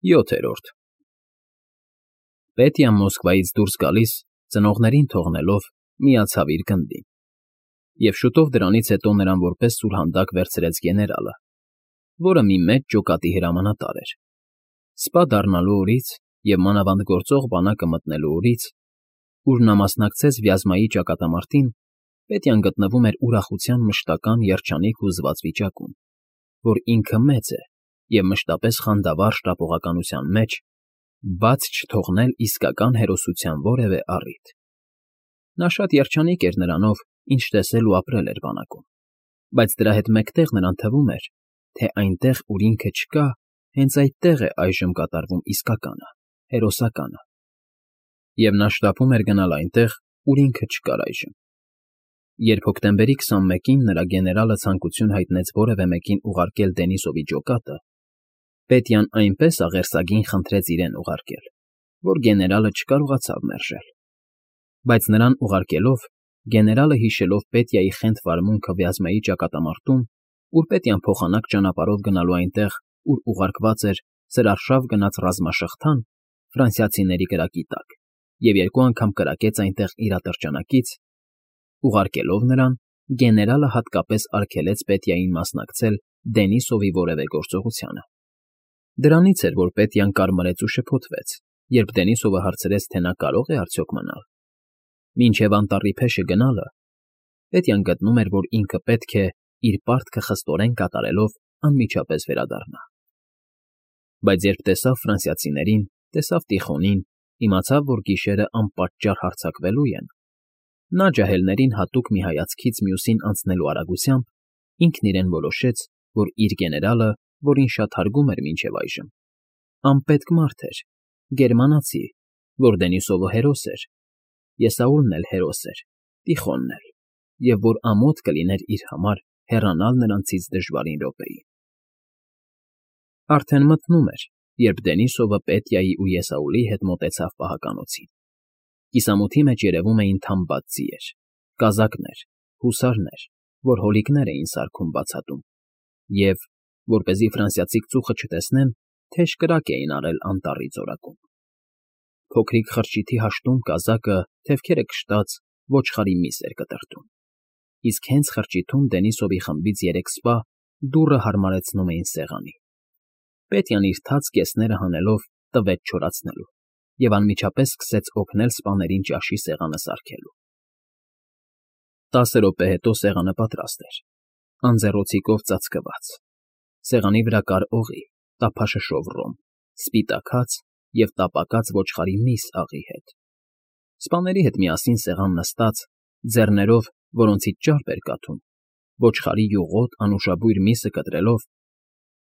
7-րդ Պետյան Մոսկվայից դուրս գալիս, ծնողներին թողնելով, միացավ իր գնդին, և շուտով դրանից հետո նրան որպես սուրհանդակ վերցրեց գեներալը, որը մի մեծ ջոկատի հրամանատար էր։ Սպա դառնալու օրից և մանավանդ գործող բանակը մտնելու օրից, ուր նա մասնակցեց Վյազմայի ճակատամարտին, Պետյան գտնվում էր ուրախության մշտական երջանիկ հուզված վիճակում, որ ինքը մեծ է և մշտապես խանդավառ շտապողականության մեջ, բաց չթողնել իսկական հերոսության որևէ առիթ։ Նա շատ երջանիկ էր նրանով, ինչ տեսել ու ապրել էր բանակում, բայց դրա հետ մեկտեղ նրան թվում էր, թե այնտեղ, ուր ինքը չկա, հենց այդտեղ է այժմ կատարվում իսկականը, հերոսականը, և նա շտապում էր գնալ այնտեղ, ուր ինքը չկար այժմ։ Երբ հոկտեմբերի 21-ին նրա գեներալը ցանկություն հայտնեց որևէ մեկին ուղարկել Դենիսովի ջոկատը, Պետյան այնպես աղերսագին խնդրեց իրեն ուղարկել, որ գեներալը չկարողացավ մերժել։ Բայց նրան ուղարկելով, գեներալը հիշելով Պետյայի խենթ վարմունքը Վյազմայի ճակատամարտում, ուր Պետյան փոխանակ ճանապարհով գնալու այնտեղ, ուր ուղարկված էր սրարշավ գնաց ռազմաշղթան ֆրանսիացիների կրակի տակ, և 2 անգամ կրակեց այնտեղ իր ատրճանակից, ուղարկելով նրան, գեներալը հատկապես արգելեց Պետյային մասնակցել Դենիսովի որևէ գործողությանը։ Դրանից էր, որ Պետյան կարմրեց ու շփոթվեց, երբ Դենիսովը հարցրեց, թե նա կարող է արդյոք մնալ։ Մինչև անտառի փեշը գնալը, Պետյան գտնում էր, որ ինքը պետք է իր պարտքը խստորեն կատարելով անմիջապես վերադառնա։ Բայց երբ տեսավ ֆրանսիացիներին, տեսավ Տիխոնին, իմացավ, որ գիշերը անպատճառ հարձակվելու են, նա ջահելներին հատուկ մի հայացքից մյուսին անցնելու արագությամբ, ինքն իրեն որոշեց, որ իր գեներալը, որին շատ հարգում էր մինչև այժմ, անպետք մարդ էր, գերմանացի, որ Դենիսովը հերոս էր, Եսաուլն էլ հերոս էր, Տիխոնն էլ, և որ ամոթ կլիներ իր համար հեռանալ նրանցից դժվարին րոպեին։ Արդեն մթնում էր, երբ Դենիսովը Պետյայի ու Եսաուլի հետ մոտեցավ պահականոցին։ Կիսամութի մեջ երևում էին թամբած ձիեր, կազակներ, հուսարներ, որ հոլիկներ էին սարքում բացատում, և, որպեսզի ֆրանսիացիք ծուխը չտեսնեն, թեժ կրակ էին արել անտառի ծորակում։ Փոքրիկ խրճիթի հաշտում կազակը, թևքերը կշտած, ոչխարի միս էր կտրտում, իսկ հենց խրճիթում Դենիսովի խմբից 3 սպա դուռը հարմարեցնում էին սեղանի։ Պետյան իր թաց կեսները հանելով տվեց չորացնելու և անմիջապես սկսեց օգնել սպաներին ճաշի սեղանը սարքելու։ 10 րոպե հետո սեղանը պատրաստ էր, անձեռոցիկով ծածկված, սեղանի վրա կար օղի, տափաշշով ռոմ, սպիտակած և տապակած ոչխարի միս աղի հետ։ Սպաների հետ միասին սեղան նստած, ձեռներով, որոնցից ճարպ էր կաթում, ոչխարի յուղոտ անուշաբույր միսը կտրելով,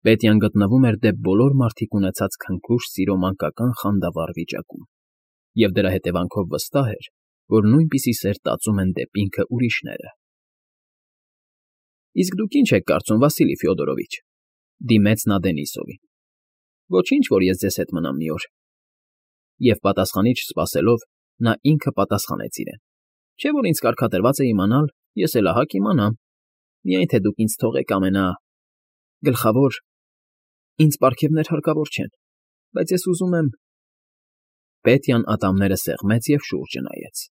Պետյան գտնվում էր դեպ բոլոր մարդիկ ունեցած քնքուշ սիրո մանկական խանդավառ վիճակում, և դրա հետևանքով վստահ էր, որ նույնպիսի սեր տածում են դեպ ինքը ուրիշները։ Իսկ դուք ինչ եք կարծում, Վասիլի Ֆյոդորովիչ,֊ դիմեց նա Դենիսովին։ Ոչինչ, որ ես ձեզ հետ մնամ մի օր։ Եվ պատասխանի չսպասելով, նա ինքը պատասխանեց իրեն. Չէ՞ որ ինձ կարգադրված է իմանալ, ես էլ ահա կիմանամ, միայն թե դուք ինձ թողեք գլխավոր, ինձ պարգևներ հարկավոր չեն, բայց ես ուզում եմ… Պետյան ատամները սեղմեց և շուրջը նայեց,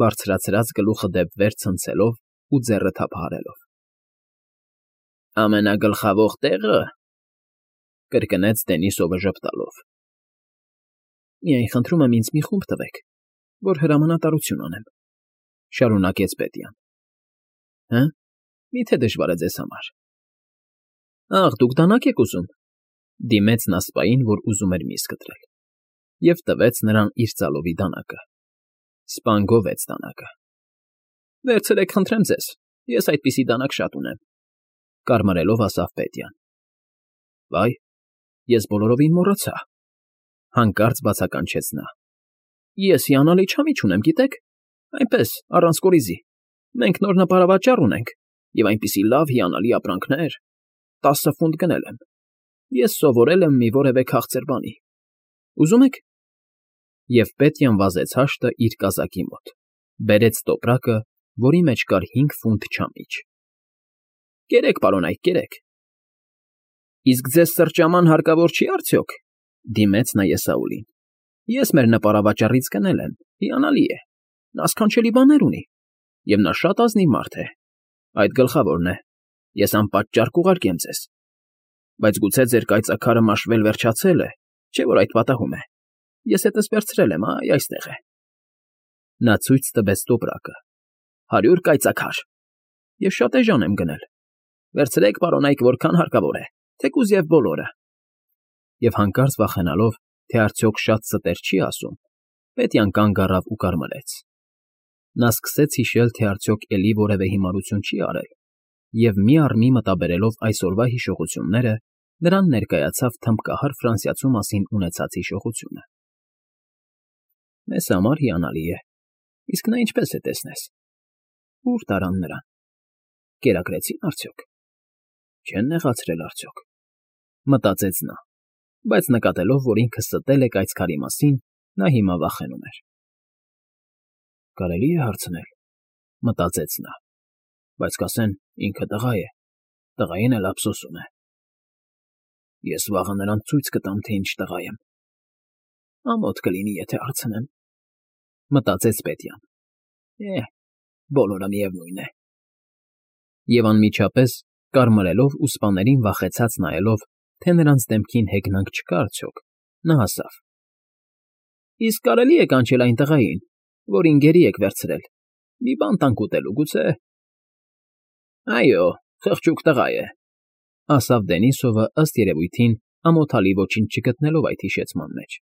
բարձրացրած գլուխը դեպ վեր ցնցելով ու ձեռը թափահարելով։ Ամենագլխավոր տեղը,֊ կրկնեց Դենիսովը ժպտալով։ Միայն խնդրում եմ ինձ մի խումբ տվեք, որ հրամանատարություն անեմ,֊ շարունակեց Պետյան։ Հը՞, մի՞թե դժվար է ձեզ համար։ Ախ, դուք դանակ եք ուզում,֊ դիմեց նա սպային, որ ուզում էր միս կտրել, և տվեց նրան իր ծալովի դանակը։ Սպան գովեց դանակը։ Վերցրեք, խնդրեմ ձեզ, ես այդպիսի դանակ շատ ունեմ,֊ կարմրելով ասավ Պետյան։ Վայ, ես բոլորովին մոռացա,֊ հանկարծ բացականչեց նա։ Ես հիանալի չամիչ ունեմ, գիտեք, այնպես, առանց կորիզի, մենք նոր նպարավաճառ ունենք, և այնպիսի լավ հիանալի ապրանքներ, 10 ֆունտ գնել եմ, ես սովորել եմ մի որևէ քաղցր բանի, ուզում եք։ Եվ Պետյան վազեց հաշտը իր կազակի մոտ, բերեց տոպրակը, որի մեջ կար 5 ֆունտ չամիչ։ Կերեք, պարոնայք, կերեք։ Իսկ ձեզ սրճաման հարկավոր չի՞ արդյոք։ Դիմեց նա Եսաուլին։ Ես մեր նպարավաճառից գնել եմ, հիանալի է, նա սքանչելի բաներ ունի, և նա շատ ազնիվ մարդ է, այդ գլխավորն է, ես անպատճառ կուղարկեմ ձեզ, բայց գուցե ձեր կայծաքարը մաշվել վերջացել է, չէ՞ որ այդ պատահում է, ես հետս վերցրել եմ, այ այստեղ է։ Նա ցույց տվեց տոպրակը։ 100 կայծաքար։ Ես շատ էժան եմ գնել։ Վերցրեք, պարոնայք, որքան հարկավոր է, թեկուզ և բոլորը։ Եվ հանկարծ վախենալով, թե արդյոք շատ ստեր չի ասում, Պետյան կանգ առավ ու կարմրեց։ Նա սկսեց հիշել, թե արդյոք էլի որևէ հիմարություն չի արել, և մի առ մի մտաբերելով այսօրվա հիշողությունները, նրան ներկայացավ թմբկահար ֆրանսիացու մասին ունեցած հիշողությունը։ Մեզ համար հիանալի է, իսկ նա ինչպես է տեսնես։ Ո՞ւր տարան նրան։ Կերակրեցի՞ն արդյոք։ Չեն նեղացրել արդյոք։ Մտածեց նա, բայց նկատելով, որ ինքը ստել է կայծքարի մասին, նա հիմա վախենում էր։ Կարելի է հարցնել, մտածեց նա, բայց կասեն, ինքը տղա է, տղային էլ ափսոսում է։ Ես վաղը նրան ցույց կտամ, թե ինչ տղա եմ։ Ամոթ կլինի, եթե հարցնեմ, մտածեց Պետյան։ Բոլորը միևնույն է։ Եվ անմիջապես, կարմրելով ու սպաներին վախեցած նայելով, թե նրանց դեմքին հեգնանք չկա արդյոք, նա ասավ. Իսկ կարելի է կանչել այն տղային, որին գերի եք վերցրել, մի բան տանք ուտելու, գուցե։ Այո, խղճուկ տղա է, ասավ Դենիսովը, ըստ երևույթին, ամոթալի ոչինչ չգտնելով այդ հիշեցման մեջ։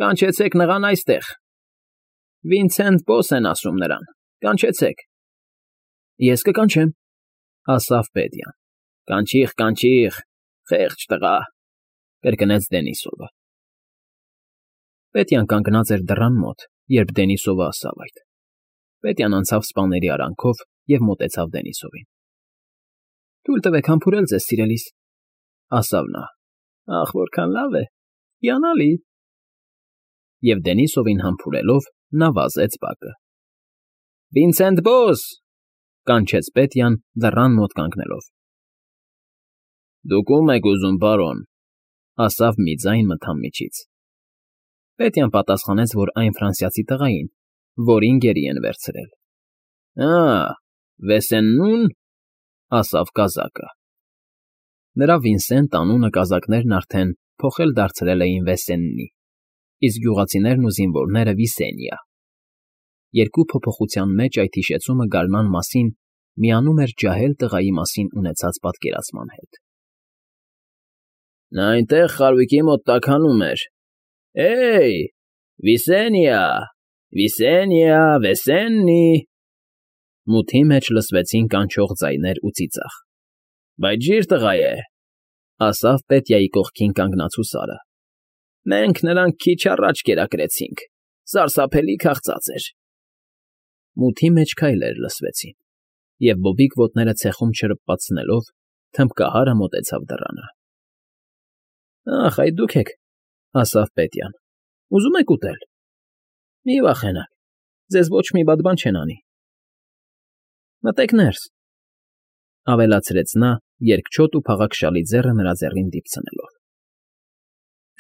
Կանչեցեք նրան այստեղ։ Վինսենտ Բոս են ասում նրան, կանչեցեք։ Ես կկանչեմ, ասավ Պետյան։ Կանչիղ, խեղճ տղա, կրկնեց Դենիսովը։ Պետյան կանգնած էր դռան մոտ, երբ Դենիսովը ասավ այդ։ Պետյան անցավ սպաների արանքով և մոտեցավ Դենիսովին։ Թույլ տվեք համբուրել ձեզ, սիրելիս, ասավ նա։ Ախ, որքան լավ է, հիանալի։ Եվ Դենիսովին համբուրելով, նա վազեց բակը։ Վինսենտ Բոս, կանչեց Պետյան դռան մոտ կանգնելով։ Դուք ո՞ւմ եք ուզում, պարոն, ասավ մի ձայն մթան միջից։ Պետյան պատասխանեց, որ այն ֆրանսիացի տղային, որին գերի են վերցրել։ Վեսեննուն, ասավ կազակը։ Նրա Վինսենտ անունը կազակներն արդեն փոխել դարձրել էին Վեսեննի, իսկ գյուղացիներն ու զինվորները Վիսենիա։ Երկու փոփոխության մեջ այդ հիշեցումը գարնան մասին միանում էր ջահել տղայի մասին ունեցած պատկերացման հետ։ Նա այնտեղ խարույկի մոտ տաքանում էր. Վիսենիա, Վեսեննի։ Մութի մեջ լսվեցին կանչող ձայներ ու ծիծաղ։ Բայց ջիր տղա է, ասավ Պետյայի կողքին կանգնած հուսարը։ Մենք նրան քիչ առաջ կերակրեցինք, սարսափելի քաղցած էր։ Մութի մեջ քայլեր լսվեցին, և բոբիկ ոտները ցեխում չրպպացնելով, թմբկահարը մոտեցավ դռանը։ Ախ, այդ դուք եք, ասավ Պետյան, ուզում եք ուտել։ Մի վախենաք, ձեզ ոչ մի վատ բան չեն անի։ Մտեք ներս, ավելացրեց նա, երկչոտ ու փաղաքշալի ձեռը նրա ձեռին դիպցնելով։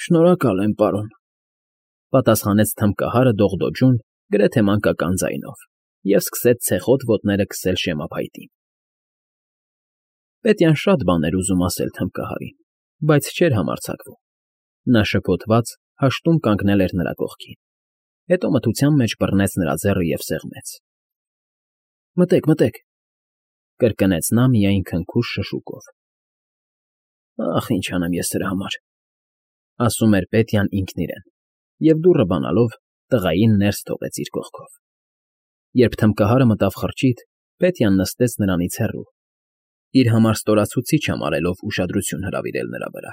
Շնորհակալ եմ, պարոն, պատասխանեց թմբկահարը դողդոջուն, գրեթե մանկական ձայնով, և սկսեց ցեխոտ ոտները քսել շեմափայտին։ Պետյան շատ բան էր ուզում ասել թմբկահարին, բայց չէր համարձակվում։ Նա շփոթված հաշտում կանգնել էր նրա կողքին, հետո մթության մեջ բռնեց նրա ձեռը և սեղմեց։ Մտեք, կրկնեց նա միայն քնքուշ շշուկով։ Ախ, ինչ անեմ ես սրա համար, ասում էր Պետյան ինքն իրեն, և դուռը բանալով տղային ներս թողեց իր կողքով։ Երբ թմբկահարը մտավ խրճիթ, Պետյան նստեց նրանից հեռու, իր համար ստորացուցիչ համարելով ուշադրություն հրավիրել նրա վրա։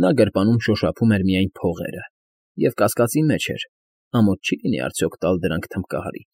Նա գրպանում շոշափում էր միայն փողերը և կասկածի մեջ էր, ամոթ չի լինի արդյոք տալ դրանք թմբկահարին։